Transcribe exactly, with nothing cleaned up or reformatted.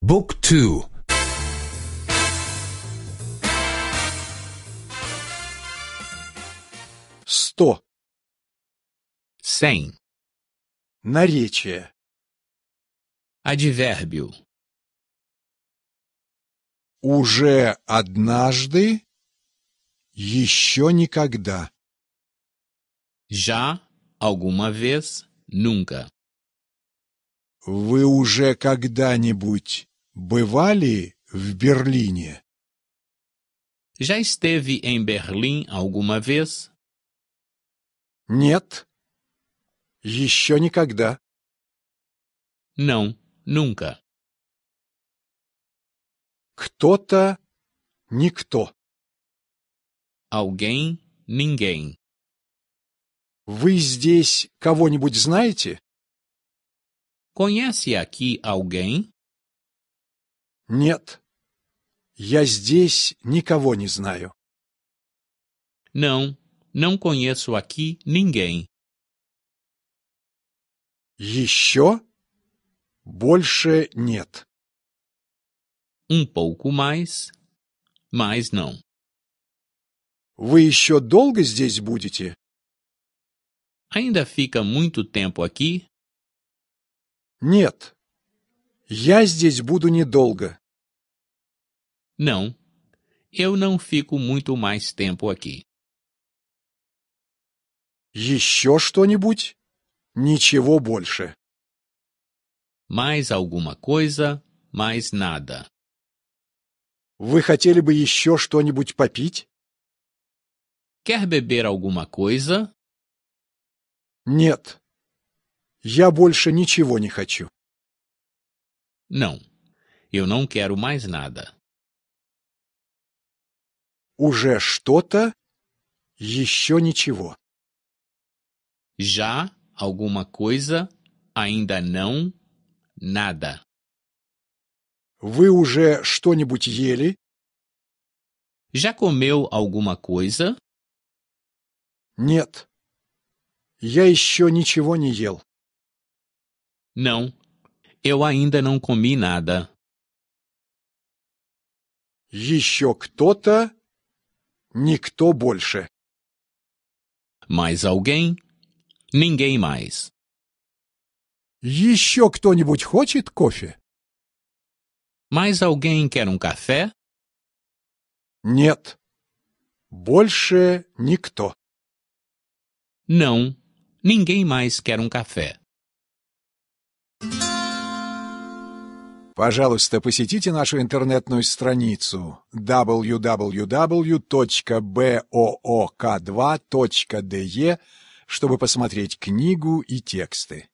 Book two. Сто. Cem. Наречие. Advérbio. Уже однажды, еще никогда. Já, alguma vez, nunca. Вы уже когда-нибудь бывали в Берлине? Já esteve em Berlim alguma vez? Нет, еще никогда. Não, nunca. Кто-то, никто. Alguém, ninguém. Вы здесь кого-нибудь знаете? Conhece aqui alguém? Нет, я здесь никого не знаю. Não, não conheço aqui ninguém. Еще? Больше нет. Um pouco mais, mais não. Вы еще долго здесь будете? Ainda fica muito tempo aqui? Нет, я здесь буду недолго. Não, eu não fico muito mais tempo aqui. Еще что-нибудь? Ничего больше. Mais alguma coisa, mais nada. Вы хотели бы еще что-нибудь попить? Quer beber alguma coisa? Нет, я больше ничего не хочу. Não, eu não quero mais nada. Уже что-то, еще ничего. Já alguma coisa, ainda não, nada. Вы уже что-нибудь ели? Já comeu alguma coisa? Нет, я еще ничего не ел. Não, eu ainda não comi nada. Еще кто-то, никто больше. Mais alguém? Ninguém mais. Еще кто-нибудь хочет кофе? Mais alguém quer um café? Нет, больше никто. Não, ninguém mais quer um café. Пожалуйста, посетите нашу интернетную страницу дабл ю дабл ю дабл ю точка б о о к два точка д е, чтобы посмотреть книгу и тексты.